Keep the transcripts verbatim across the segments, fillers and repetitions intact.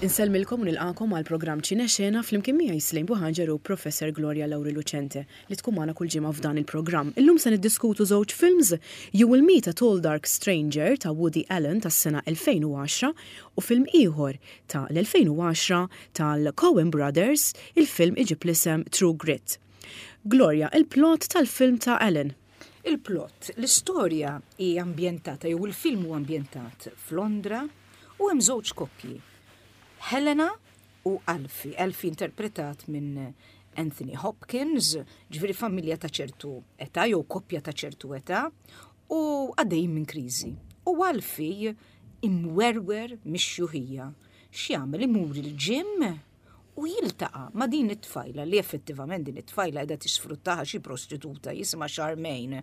Insellmilkom u nilqakom għal programm Ċinexena flimkien miegħi Slejn Buħanġer u Professor Gloria Lauri Lucente li tkun magħna kull ġimgħa f'dan il-programm. Illum se niddiskutu żewġ films You Will Meet a Tall Dark Stranger ta' Woody Allen tas-sena elfejn u għaxra u film ieħor ta' l-elfejn u għaxra tal-Coen Brothers, il-film iġib l-isem True Grit. Gloria, il-plot tal-film ta' Allen. Il-plot, l-istorja hi ambjentata, jew il-film hu ambjentat f'Londra u hemm żewġ koppji. Helena u Alfie. Alfie interpretat minn Anthony Hopkins, ġifieri familja ta' ċertu età jew koppja ta' ċertu età u għaddej minn kriżi. U Alfie imwerwer mix-xjuħija. X'jagħmel? Imur il-gym u jiltaqa' ma' din it-tfajla li effettivament din it-tfajla qiegħda tisfruttaha, xi prostituta jisimha Charmaine,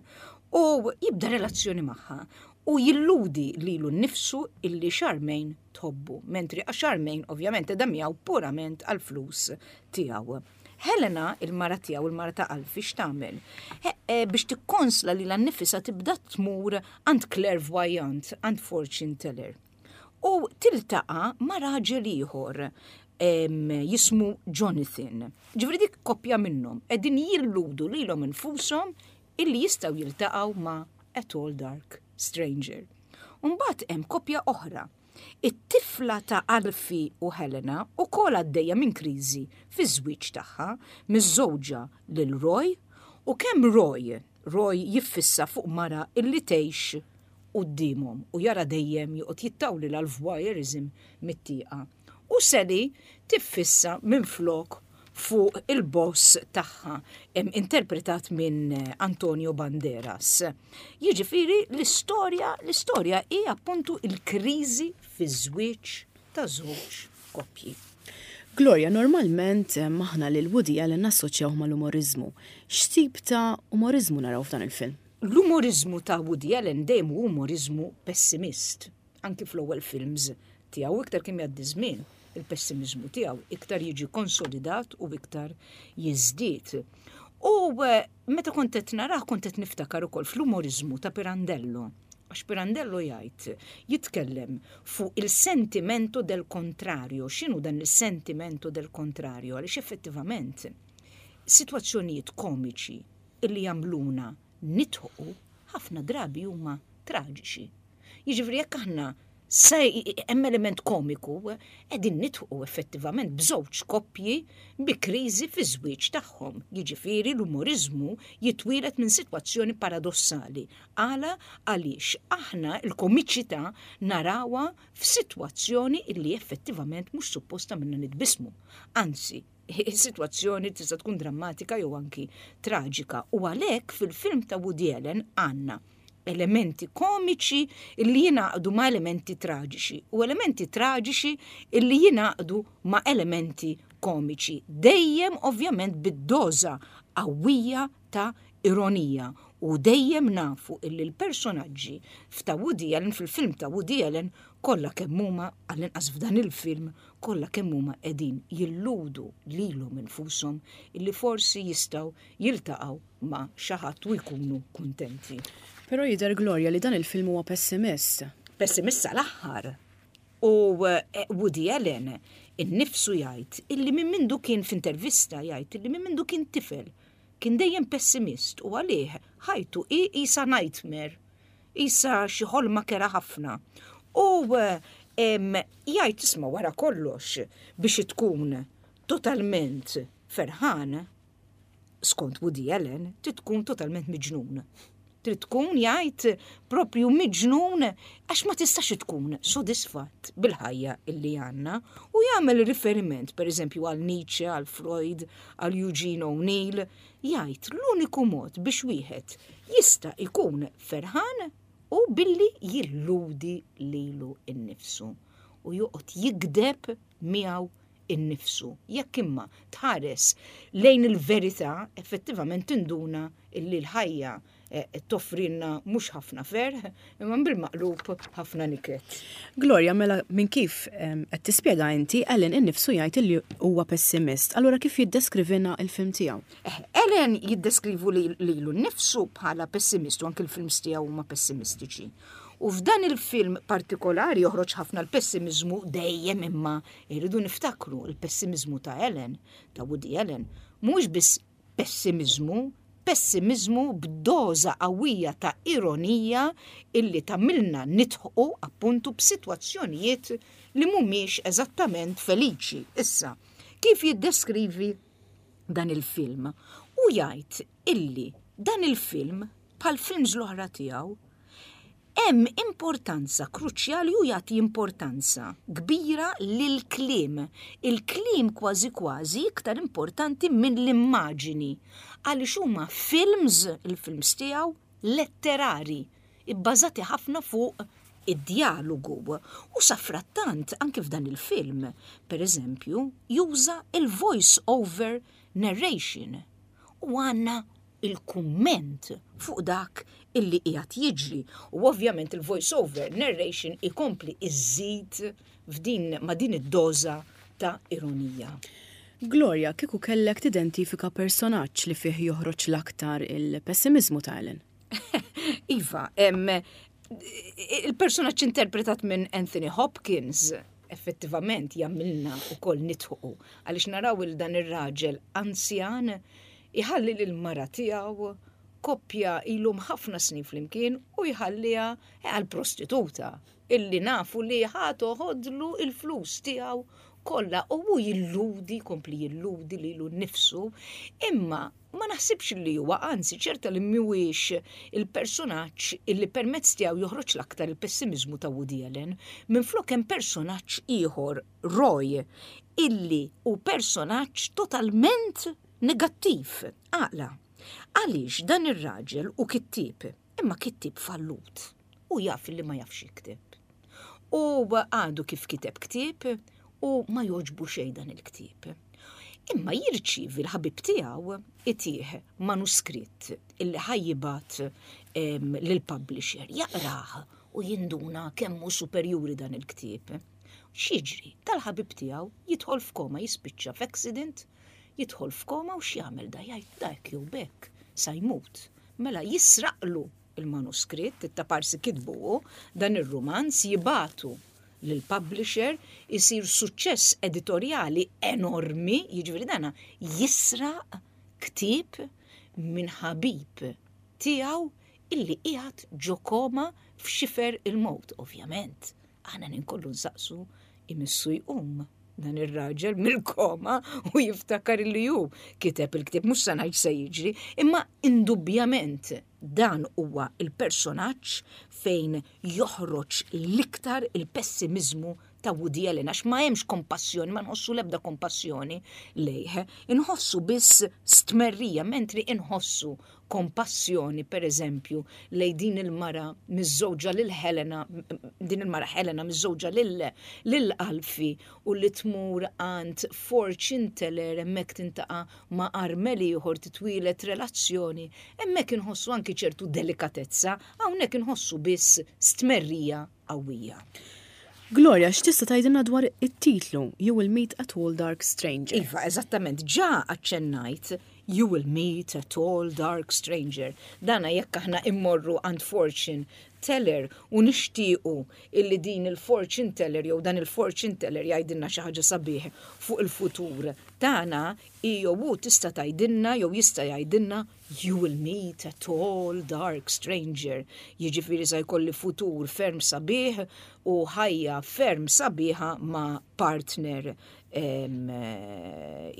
u jibda relazzjoni magħha u jilludi lilu nnifsu illi Charmaine tħobbu, mentri Charmaine ovvjament qiegħda miegħu purament għal-flus tiegħu. Helena, il-mara tiegħu, il-mara ta' Alfie, x'tagħmel? E, biex tikkonsla lilha nnifisha tibda tmur għand clairvoyant, għand fortune teller. U tiltaqa' ma' raġel ieħor jismu Jonathan. Ġifieri dik koppja minnhom qegħdin jilludu lilhom infushom illi jistgħu jiltaqgħu ma' a tall dark stranger. Umbagħad hemm koppja oħra. It-tifla ta' Alfie u Helena ukoll għaddejja minn kriżi fi żwieġ tagħha, miżżewġa lil Roy, u kemm Roy, Roy jiffissa fuq mara illi tgħix quddiemhom u jara dejjem joqgħod jittawli l-voyeurism mit-tieqa. U Sally tiffissa minn flok fuq il-boss tagħha, interpretat minn Antonio Banderas. Jiġifieri l-istorja, l-istorja hi appuntu il-kriżi fi żwieġ ta' żewġ koppji. Gloria, normalment aħna lil Woody Allen nassoċjaw mal-umorizmu. X'tip ta' umorizmu naraw f'dan il-film? L-umorizmu ta' Woody Allen dejjem hu umorizmu pessimist. Anki fl-ewwel films tiegħu, iktar kemm jgħaddi żmien, il-pessimizmu tiegħu iktar jiġi konsolidat u iktar jiżdied. U eh, meta kont qed narah kont qed niftakar ukoll fl-umorizmu ta' Pirandello. Għax Pirandello jgħid, jitkellem fuq il-sentimento del contrario. X'inhu dan il-sentimento del contrario? Għaliex effettivament situazzjonijiet komiċi illi jagħmluna nidħku ħafna drabi huma traġiċi. Jiġifieri jekk aħna se hemm element komiku, qegħdin nidħku effettivament b'żewġ koppji bi kriżi fi żwieġ tagħhom. Jiġifieri l-umorizmu jitwielet minn sitwazzjoni paradossali. Għala? Għaliex aħna l-komiċità narawha f'sitwazzjoni illi effettivament mhux supposta minna nitbismu. Anzi, is-sitwazzjoni tista' tkun drammatika jew anki traġika. U għalhekk fil-film ta' Woody Allen għandna elementi komiċi illi jingħaqdu ma' elementi traġiċi u elementi traġiċi illi jingħaqdu ma' elementi komiċi. Dejjem ovvjament bid-doża qawwija ta' ironija u dejjem nafu illi l-personaġġi f'ta' Woody Allen, fil-film ta' Woody Allen, kollha kemm huma, għall-inqas f'dan il-film, kollha kemm huma qegħdin jilludu lilhom infushom illi forsi jistgħu jiltaqgħu ma' xi ħadd u jkunu kuntenti. Però jidher, Gloria, li dan il-film huwa pessimist. Pessimist sal-aħħar. U eh, Woody Allen innifsu jgħid illi minn mindu kien, f'intervista jgħid illi minn mindu kien tifel kien dejjem pessimist u għalih ħajtu hi qisha nightmare, qisha xi ħolma kerha ħafna. U em, jgħid, isma', wara kollox biex tkun totalment ferħan, skont Woody Allen, trid tkun totalment miġnun. Trid tkun, jgħid, propju miġnun għax ma tistax tkun sodisfatt bil-ħajja illi għandna, u jagħmel riferiment per eżempju għal Nietzsche, għal Freud, għal Eugene O'Neill, jgħid l-uniku mod biex wieħed jista' jkun ferħan u billi jilludi lilu innifsu u joqgħod jigdeb miegħu innifsu. Jekk imma tħares lejn il-verità, effettivament tinduna illi l-ħajja eh, toffrinna mhux ħafna ferħ, imma bil-maqlub ħafna niket. Gloria, mela minn kif em, qed tispjega inti, Allen innifsu jgħid li huwa pessimist. Allura kif jiddeskrivilna il-film tiegħu? Eh, Allen jiddeskrivu li lilu nnifsu bħala pessimist u anke il-films tiegħu huma pessimistiċi. U f'dan il-film partikolari joħroġ ħafna l-pessimizmu dejjem, imma irridu niftakru l-pessimizmu ta' Allen, ta' Woody Allen, mhux biss pessimizmu, pessimizmu b'doża qawwija ta' ironija illi tagħmilna nidħqu appuntu b'sitwazzjonijiet li mhumiex eżattament feliċi. Issa, kif jiddeskrivi dan il-film? U jgħid illi dan il-film, bħal films l-oħra tiegħu, hemm importanza kruċjali u jagħti importanza kbira lil kliem. Il-kliem kważi kważi iktar importanti minn l-immaġini, għaliex huma films, il-films tiegħu, letterari, ibbażati ħafna fuq id-dialogu. U safrattant, anke f'dan il-film, per eżempju, juża il-voice over narration. U għandna il-kumment fuq dak illi qiegħed jiġri. U ovvjament il-voice over narration ikompli iżid f'din ma' din id-doża ta' ironija. Gloria, kieku kellek tidentifika personaġġ li fih joħroġ l-aktar il-pessimizmu ta' Allen? Iva, em, il-personaġġ interpretat minn Anthony Hopkins effettivament jagħmilna ukoll nidħqu, għaliex naraw il dan ir-raġel anzjan iħalli lil mara tiegħu, koppja ilhom ħafna snin flimkien, u jħalliha għal prostituta illi nafu li ħa toħodlu il-flus tiegħu kollha, u hu jilludi, kompli jilludi lilu nnifsu, imma ma naħsibx li huwa, anzi ċerta li mhuwiex il-personaġġ illi permezz tiegħu joħroġ l-aktar il-pessimizmu ta' Woody Allen. Minflok hemm personaġġ ieħor, Roy, illi hu personaġġ totalment negattiv. Għala, għaliex dan ir-raġel hu kittieb, imma kittieb fallut, u jaf li ma jafx jikteb. U għadu kif kiteb ktieb u ma joġbu xejn dan il-ktieb. Imma jirċivi l-ħabib tiegħu itih manuskritt illi ħa jibgħat lill-publisher, jaqrah u jinduna kemm hu superjuri dan il-ktieb. X'jiġri? Tal-ħabib tiegħu jidħol f'koma, jispiċċa f'accident, jidħol f'koma, u x'jagħmel da? Jgħid dak jew bekk sa jmut. Mela jisraqlu il-manuskritt, it-taparsi kitbu dan ir-rumanz, jibagħtu lill-publisher, isir suċċess editorjali enormi, jiġifieri dana jisraq ktieb minn ħabib tiegħu illi qiegħed ġo koma f'xifer il-mewt, ovvjament. Aħna ninkollu nsaqsu, imissu jqum dan ir-raġel mill-koma u jiftakar illi hu kiteb il-ktieb? Mhux se ngħid se jiġri, imma indubjament dan huwa il-personaġġ fejn joħroġ l-iktar il-pessimizmu ta' Woody Allen, għax ma hemmx kompassjoni, ma nħossu l-ebda kompassjoni lejh, inħossu biss stmerrija, mentri inħossu kompassjoni, per eżempju, lej din il-mara miżżewġa lil Helena, din il-mara Helena miżżewġa lil lil Alfie u li tmur għand fortune teller, hemmhekk tiltaqa' ma' armel ieħor, titwieled relazzjoni, hemmhekk inħossu anki ċertu delikatezza, hawnhekk inħossu biss stmerrija qawwija. Gloria, x'tista' tgħidilna dwar it-titlu You Will Meet a Tall Dark Stranger? Iva, eżattament, ġa aċċennajt You Will Meet a Tall Dark Stranger. Dana jekk aħna immorru għand fortune teller u nixtiequ illi din il-fortune teller jew dan il-fortune teller jgħidilna xi ħaġa sabiħ fuq il-futur tagħna, jew hu tista' tgħidilna jew jista' jgħidilna "You will meet a tall dark stranger". Jiġifieri sa jkolli futur ferm sabiħ u ħajja ferm sabiħa ma' partner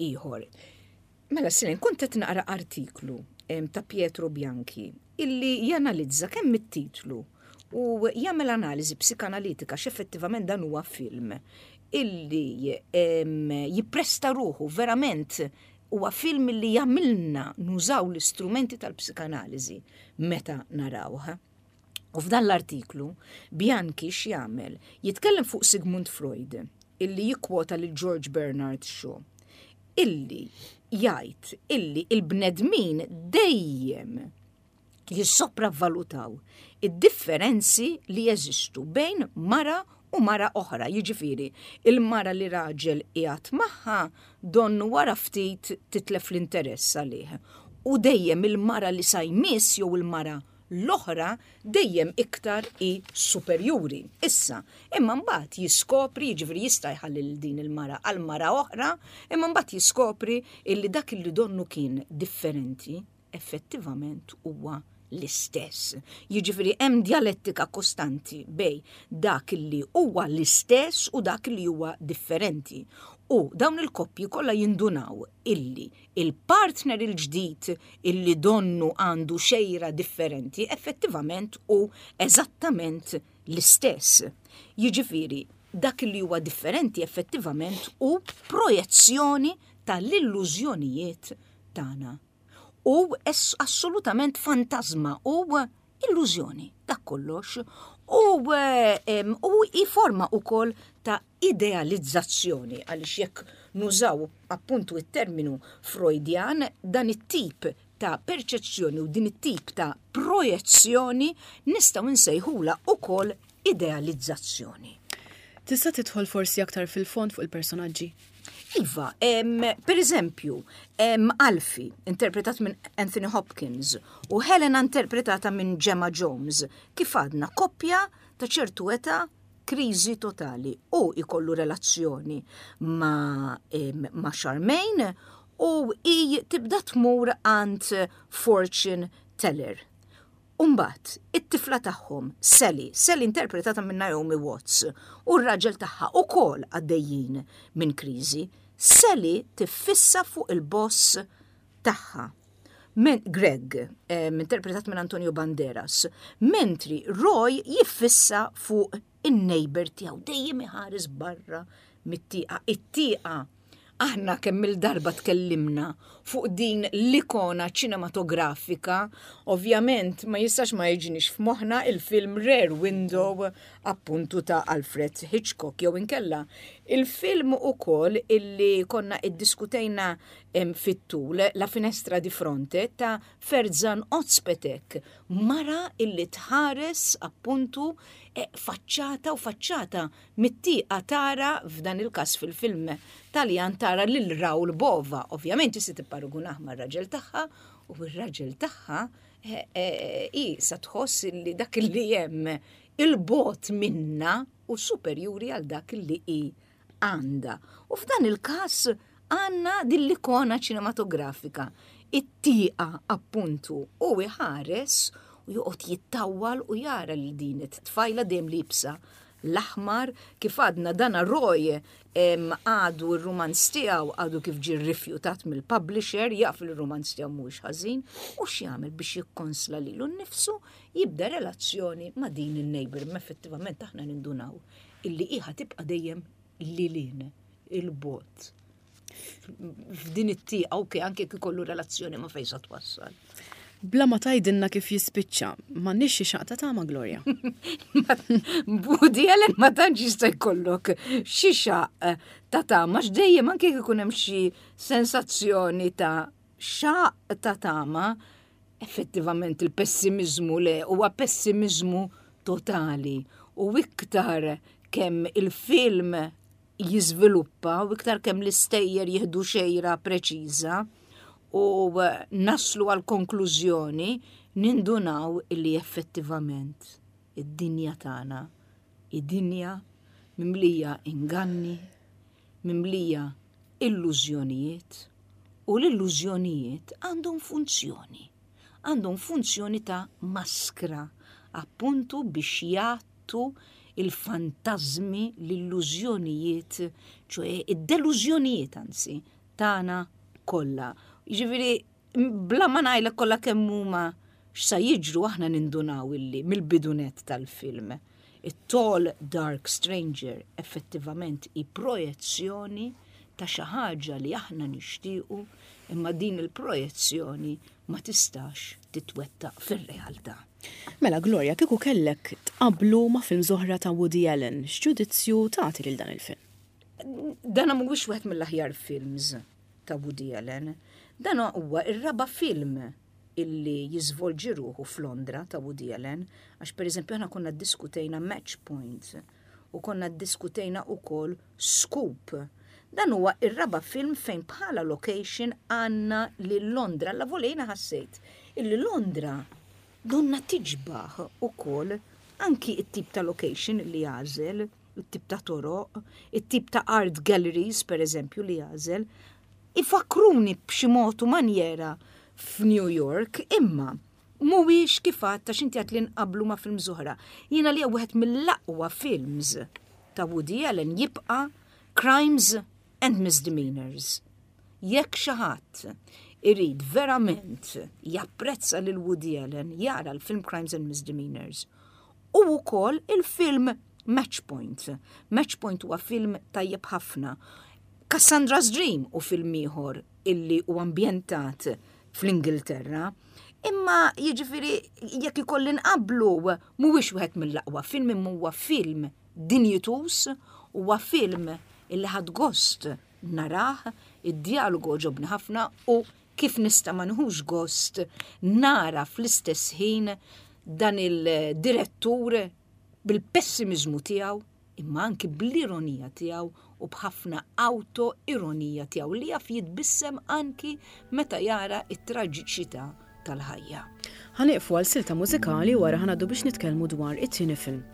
ieħor. Mela, Silin, kont qed naqra artiklu ta' Pietro Bianchi illi janalizza kemm it-titlu u jagħmel analiżi psikanalitika, x'effettivament dan huwa film illi jippresta ruħu verament, huwa film illi jagħmilna nużaw l-istrumenti tal-psikanaliżi meta narawh. U f'dan l-artiklu Bianchi x'jagħmel? Jitkellem fuq Sigmund Freud illi jikkwota lil George Bernard Shaw illi jgħid illi il-bnedmin dejjem jissopravvalutaw id-differenzi li jeżistu bejn mara u mara oħra. Jiġifieri, il-mara li raġel qiegħed magħha donnu wara ftit titlef l-interess għalih. U dejjem il-mara li sa jmiss jew il-mara L-oħra dejjem iktar hi superjuri. Issa, imma mbagħad jiskopri, jiġifieri jista' jħalli lil din il-mara għal mara oħra, imma mbagħad jiskopri illi dak illi donnu kien differenti effettivament huwa l-istess. Jiġifieri hemm djalettika kostanti bejn dak li huwa l-istess u dak li huwa differenti. U dawn il-koppji kollha jindunaw illi il-partner il-ġdid illi donnu għandu xejra differenti effettivament hu eżattament l-istess. Jiġifieri dak li huwa differenti effettivament hu projezzjoni tal-illużjonijiet tagħna. U assolutament fantasma u illużjoni, dak kollox. U, u i forma ukoll ta' idealizzazzjoni, għaliex jekk nużaw appuntu it-terminu Freudian, dan it-tip ta' perċezzjoni u din it-tip ta' projezzjoni nistgħu nsejħula ukoll idealizzazzjoni. Tista' tidħol forsi aktar fil-fond fuq il-personaġġi? Iva, em, per eżempju, em, Alfie, interpretat minn Anthony Hopkins, u Helena interpretata minn Gemma Jones, kif għadna koppja ta' ċertu età, kriżi totali, u ikollu relazzjoni ma, em, ma Charmaine u i tibda tmur għand fortune teller. Umbat, it-tifla tagħhom, Sally, Sally interpretata minn Naomi Watts, u r-raġel tagħha ukoll għaddejjin minn kriżi. Sally tiffissa fuq il-boss tagħha. Men, Greg, eh, interpretat minn Antonio Banderas, mentri Roy jiffissa fuq in-neighbor tiegħu dejjem iħares barra mit-tieqa. It-tieqa aħna kemm il-darba tkellimna fuq din l-ikona ċinematografika, ovvjament ma jistax ma jiġinix f'moħħna il-film Rear Window appuntu ta' Alfred Hitchcock, jew inkella il-film ukoll illi konna iddiskutejna fit-tul, La Finestra di Fronte ta' Ferzan Ozpetek, mara illi tħares appuntu e, faċċata u faċċata mit-tieqa tara, f'dan il-każ fil-film Taljan, tara lil Raul Bova. Ovvjament jista' tipparagunah mar-raġel tagħha, u r-raġel tagħha e, e, i sa tħoss li dak li hemm il-bogħod minna u superjuri għal dak li hi għandha. U f'dan il-każ għandna din l-ikona ċinematografika, it-tieqa appuntu, u iħares u joqgħod jittawwal u jara li din it-tfajla dejjem liebsa l-aħmar. Kif għadna, dana Roy għadu r-rumanz tiegħu għadu kif ġie rrifjutat mill-publisher, jaf il-rumanz tiegħu mhuwiex ħażin, u x'jagħmel biex jikkonsla lilu nnifsu? Jibda relazzjoni ma' din in-neighbor, ma effettivament aħna nindunaw illi iħa tibqa' dejjem lilin il-bogħod f'din it-tieqa, ok, anke kif ikollu relazzjoni ma fejn sa twassal. Bla ma tgħidilna kif jispiċċa, m'għandniex xi xaqq ta' tama, Gloria? Woody Allen ma tantx jista' jkollok xi xaqq ta' tama, x'dejjem anke jekk ikun hemm xi sensazzjoni ta' xaqq ta' tama, effettivament il-pessimizmu le huwa pessimizmu totali, u iktar kemm il-film jiżviluppa u iktar kemm l-istejjer jieħdu xejra preċiża u naslu għal konklużjoni, nindunaw illi effettivament id-dinja tagħna, id-dinja mimlija inganni, mimlija illużjonijiet, u l-illużjonijiet għandhom funzjoni. Għandhom funzjoni ta' maskra, appuntu biex jgħattu il-fantazmi, l-illużjonijiet, ċoè id-delużjonijiet anzi, tagħna kollha. Jiġifieri, bla ma ngħidlek kollha kemm huma x'sa jiġru, aħna nindunaw illi mill-bidunet tal-film it-Tall Dark Stranger effettivament hi projezzjoni ta' xi ħaġa li aħna nixtiequ, imma din il-projezzjoni ma tistax titwettaq fir-realtà. Mela Gloria, kieku kellek tqablu ma' film oħra ta' Woody Allen, x'ġudizzju tagħti lil dan il-film? Dan mhuwiex wieħed mill-aħjar films ta' Woody Allen. Dan huwa ir-raba' film illi jiżvolġi ruħu f'Londra ta' Woody Allen, għax per eżempju aħna konna ddiskutejna Match Point u konna ddiskutejna ukoll Scoop. Dan huwa ir-raba' film fejn bħala location għandna lil Londra. La volejna ħassejt illi Londra Donna tiġbaħ ukoll anki it-tip ta' location li għażel, it-tip ta' toroq, it-tip ta' art galleries, per eżempju, li għażel, ifakruni b'xi mod u manjera f'New York, imma mhuwiex kif għedt ta' x'inti għedt li nqablu ma' films oħra. Jiena li wieħed mill-aqwa films ta' Woody Allen jibqa' Crimes and Misdemeanors. Jekk xi ħadd irid verament japprezza lil Woody Allen jara l-film Crimes and Misdemeanors. U wkoll il-film Match Point. Match Point huwa film tajjeb ħafna. Cassandra's Dream u film ieħor illi u ambjentat fl-Ingilterra. Imma jiġifieri jekk ikolli nqablu mhuwiex wieħed mill-aqwa film imma huwa film dinjituż, huwa film illi ħadt gost narah, id-dialogu għoġobni ħafna u kif nista' ma nieħux gost nara fl-istess ħin dan il-direttur bil-pessimizmu tiegħu imma anki bl-ironija tiegħu u b'ħafna auto-ironija tiegħu li jaf jitbissem anki meta jara it-traġiċità tal-ħajja. Ħa nieqfu għal silta mużikali wara ħa ngħaddu biex nitkellmu dwar it-tieni film.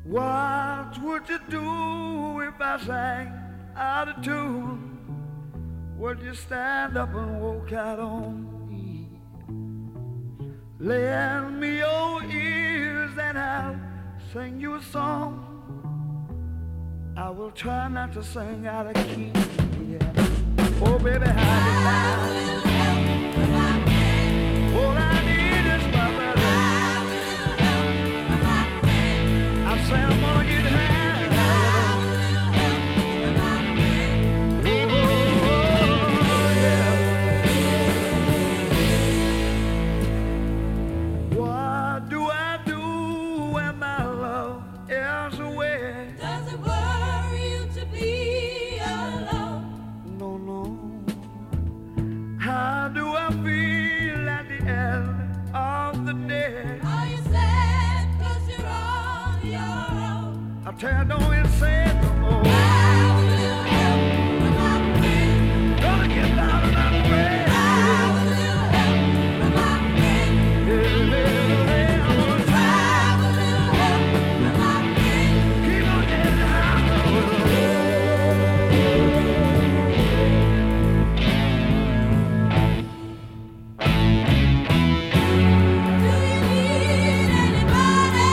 What would you do if I sang out of tune? Would you stand up and walk out on me? Lend me your ears and I'll sing you a song. I will try not to sing out of key. Yeah. Oh, baby, how you like? All I need is my brother. I say I'm gonna get high. Oh, yeah. What do I do when my love is away? Does it worry you to be alone? No, no. How do I feel at the end of the day? Are you sad 'cause you're on your own? I tell you, don't even say it no more. I will help from my friend. Gonna get down and I'm afraid. I will help from my friend. Yeah, yeah, yeah, I'm gonna try. I will help from my friend. Keep on getting high. Do you need anybody?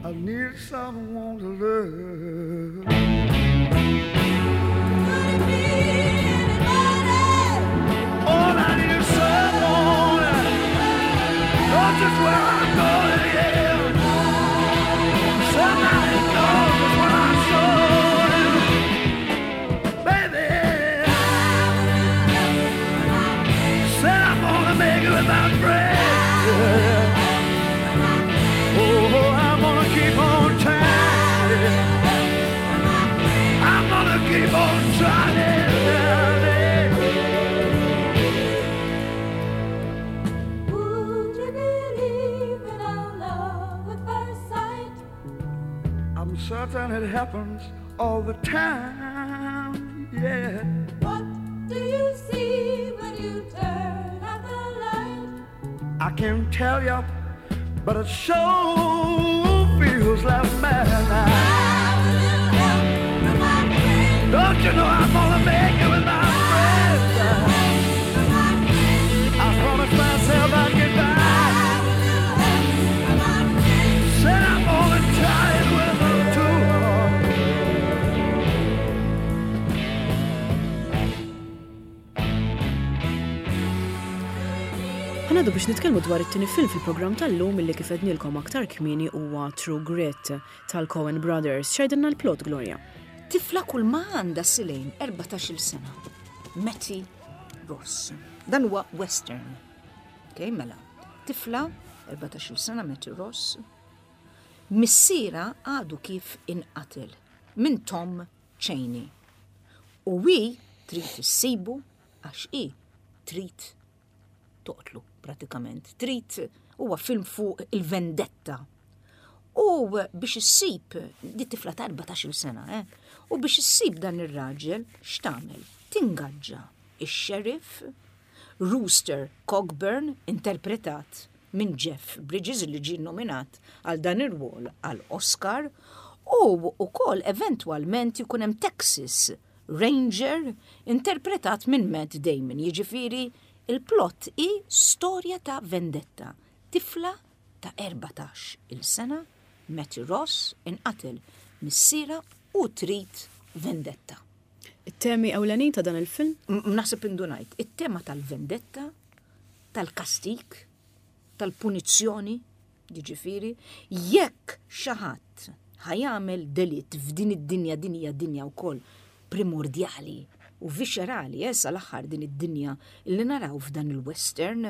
I need someone to love. Could it be anybody? All I need is someone. Knows just where I'm going, yeah. Somebody knows what I'm showing. Baby, said I'm gonna make it with my friend. Oh, I'm gonna keep on trying. I'm gonna keep on trying. Would you believe in our love at first sight? I'm certain it happens all the time. Yeah. What do you see when you turn out the light? I can't tell you, but it sure feels like madness. I will help from my friend. Don't you know I'm gonna make it with my friends? From my friend. I promised myself I'd get by. From my friend. Said I'm gonna try it with them too. Ħa Ħa ngħaddu biex nitkellmu dwar it-tieni film fil-programm tal-lum, illi kif għednilkom aktar kmieni huwa True Grit tal-Coen Brothers. X'jgħidilna l-plot, Gloria? Tifla kull ma għandha silejn erbatax-il sena. Mattie Ross. Dan huwa western. Ok, mela. Tifla, erbatax-il sena, Mattie Ross. Missiera għadu kif inqatel minn Tom Chaney. U hi trid issibu għax hi trid toqtlu pratikament. Trid, huwa film fuq il-vendetta. U biex issib, di tifla ta' erbatax-il sena, eh? U biex issib dan ir-raġel, x'tagħmel? Tingaġġa ix-sheriff Rooster Cogburn, interpretat minn Jeff Bridges, li ġie nominat għal dan ir-rwol għal Oscar, u wkoll eventwalment ikun hemm Texas Ranger interpretat minn Matt Damon. Jiġifieri il-plot hi storja ta' vendetta. Tifla ta' erbatax il-sena, Mattie Ross, inqatel missiera u trid vendetta. It-temi ewlenin ta' dan il-film? Naħseb indunajt, it-tema tal-vendetta, tal-kastik, tal-punizzjoni, jiġifieri, jekk xi ħadd ħa jagħmel delitt f'din id-dinja, din hija dinja wkoll primordjali u viscerali, eh, sal-aħħar din id-dinja li naraw f'dan il-western,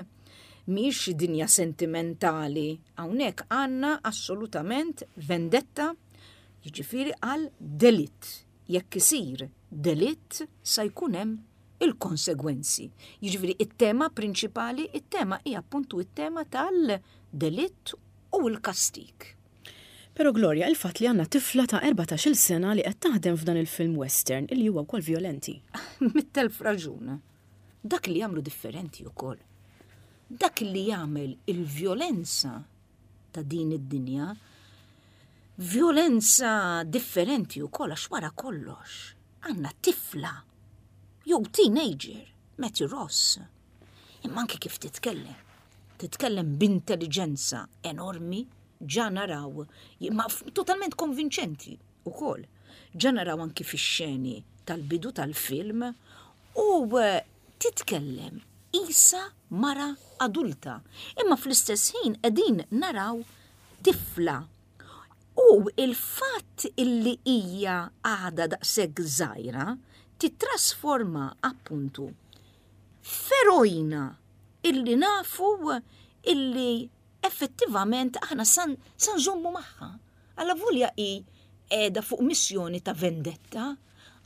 mhix dinja sentimentali, hawnhekk għandna assolutament vendetta, jiġifieri għal delitt. Jekk isir delitt sa jkun hemm il-konsegwenzi. Jiġifieri it-tema prinċipali, it-tema hija appuntu it-tema tal-delitt u l-kastik. Pero Gloria, il-fatt li għandna tifla ta' erbatax-il sena li qed taħdem f'dan il-film western illi huwa wkoll violenti. Mitt elf raġun. Dak li jagħmlu differenti wkoll. Dak li jagħmel il-vjolenza ta' din id-dinja vjolenza differenti wkoll, għax wara kollox għandna tifla jew teenager, Mattie Ross. Imma anke kif titkellem, titkellem b'intelligenza enormi, ġa naraw, ma totalment konvinċenti ukoll. Ġa naraw anki fix-xeni tal-bidu tal-film u eh, titkellem isa mara adulta. Imma fl-istess ħin qegħdin naraw tifla. U il-fatt illi hija għada daqshekk żgħira titrasforma appuntu f'eroina illi nafu illi effettivament aħna san, san nżommu magħha. Allavolja hi qiegħda fuq missjoni ta' vendetta,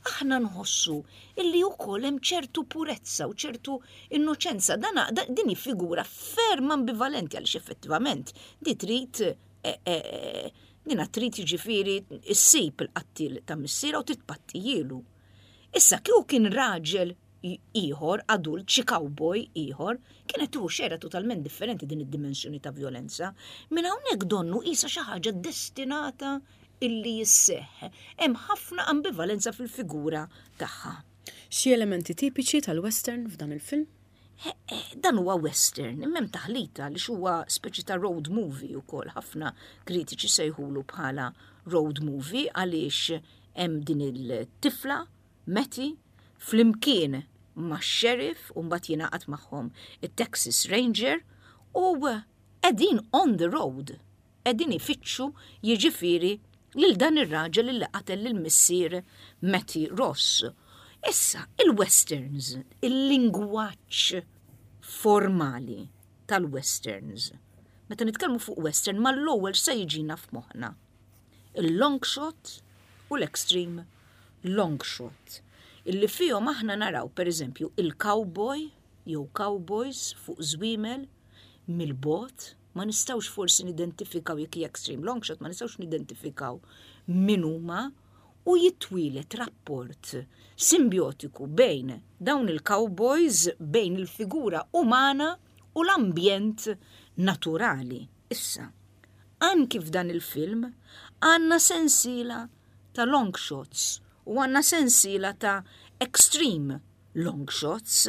aħna nħossu illi wkoll hemm ċertu purezza u ċertu innoċenza. Dana, da, din hi figura ferm ambivalenti, għaliex effettivament di trid eh, eh, dina trid jiġifieri issib il-qattil ta' missiera u titpattijielu. Issa kieku kien raġel ieħor, adult, xi cowboy ieħor, kienet tieħu xejra totalment differenti din id-dimensjoni ta' violenza. Minn hawnhekk donnu qisha xi ħaġa destinata illi jisseħ. Hemm ħafna ambivalenza fil-figura tagħha. Xi elementi tipiċi tal-western f'dan il-film? Eh, eh, dan huwa western, imma hemm taħlita li huwa speċi ta' road movie ukoll. Ħafna kritiċi sejħulu bħala road movie għaliex hemm din il-tifla Mattie flimkien ma' sheriff u mbagħad jingħaqad magħhom it-Texas Ranger u qegħdin on the road, qegħdin ifittxu jiġifieri lil dan ir-raġel li qatel lil missier Mattie Ross. Issa, il-westerns, il-lingwaġġ formali tal-westerns. Meta nitkellmu fuq western, mal-ewwel se jiġina f'moħħna il-long shot u l-extreme long shot. Illi fihom aħna naraw, per eżempju, il-cowboy jew cowboys fuq żwiemel mill-bogħod, ma nistgħux forsi nidentifikaw jekk hija extreme long shot, ma nistgħux nidentifikaw min huma, u jitwieled rapport simbiotiku bejn dawn il-cowboys, bejn il-figura umana u l-ambjent naturali. Issa, anki f'dan il-film għandna sensiela ta' long shots u għandna sensiela ta' extreme long shots,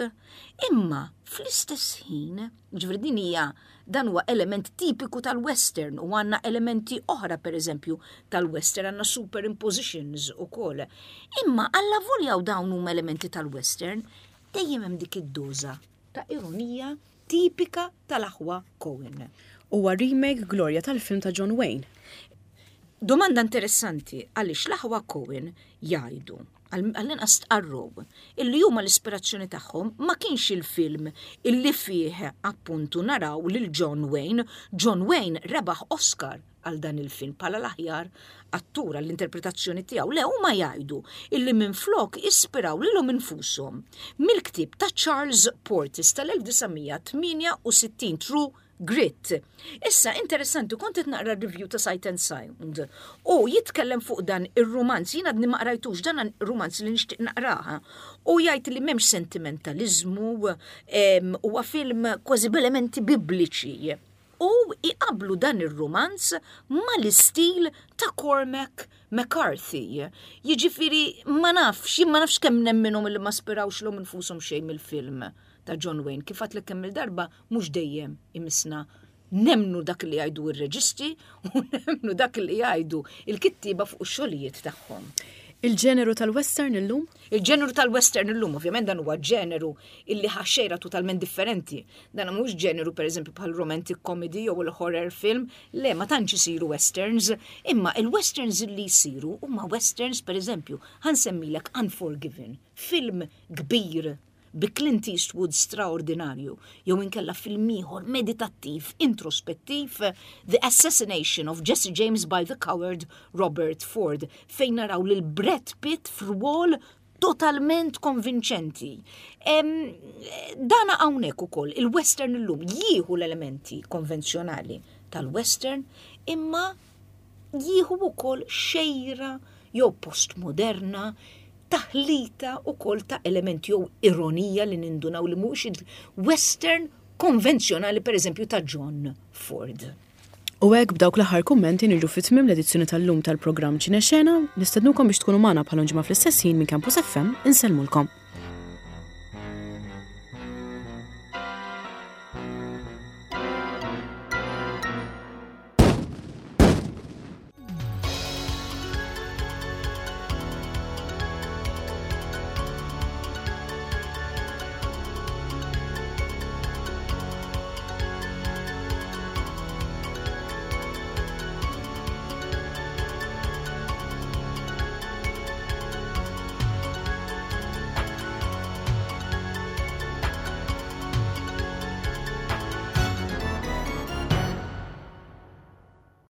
imma fl-istess ħin, ġifieri din hija, dan huwa element tipiku tal-western u għandna elementi oħra, per eżempju, tal-western, għandna superimpositions ukoll. Imma allavolja u dawn huma elementi tal-western, dejjem hemm dik id-doża ta' ironija Tipika tal-aħwa Coen. Huwa remake, Gloria, tal-film ta' John Wayne? Domanda interessanti, għaliex l-aħwa Coen jgħidu, għall-inqas stqarrow, illi huma l-ispirazzjoni tagħhom ma kienx il-film illi fih appuntu naraw lil John Wayne. John Wayne rebaħ Oscar għal dan il-film bħala l-aħjar attur għall-interpretazzjoni tiegħu. Le, huma jgħidu illi minflok ispiraw lilhom infushom mill-ktieb ta' Charles Portis tal-elf disa' mija tmienja u sittin, True Grit. Issa, interessanti, kont qed naqra review ta' Sight and Sound u jitkellem fuq dan ir-romanz, jiena għadni ma qrajtux dan ir-romanz li nixtieq naqraha, u jgħid li m'hemmx sentimentalizmu, huwa film kważi b'elementi bibliċi. U iqablu dan ir-romanz mal-istil ta' Cormac McCarthy. Jiġifieri ma nafx, jien ma nafx kemm nemminhom li ma spirawx lilhom infushom xejn mill-film ta' John Wayne. Kif għedtlek kemm il-darba, mhux dejjem imissna nemnu dak li jgħidu ir-reġisti u nemnu dak li jgħidu il-kittiba fuq ix-xogħlijiet tagħhom. Il-ġeneru tal-western illum? Il-ġeneru tal-western illum, ovvjament dan huwa ġeneru illi ħa xejra totalment differenti. Dan mhux ġeneru, per eżempju, bħal romantic comedy jew il-horror film, le, ma tantx isiru westerns, imma il-westerns illi jsiru huma westerns, per eżempju, ħa nsemmilek Unforgiven, film kbir bi Clint Eastwood straordinarju, jew inkella film ieħor meditattiv, introspettiv, The Assassination of Jesse James by the Coward Robert Ford, fejn naraw lil Brad Pitt f'rwol totalment konvinċenti. Em, dana hawnhekk ukoll il-western illum jieħu l-elementi konvenzjonali tal-western, imma jieħu ukoll xejra jew postmoderna, taħlita ukoll ta' elementi jew ironija li nindunaw li mhux il-western konvenzjonali, per eżempju, ta' John Ford. U hekk, b'dawk l-aħħar kummenti, niġu fi tmiem l-edizzjoni tal-lum tal-programm Ċinexena. Nistednukom biex tkunu magħna bħal ġimgħa fl-istess ħin minn Campus F M. Insellmulkom.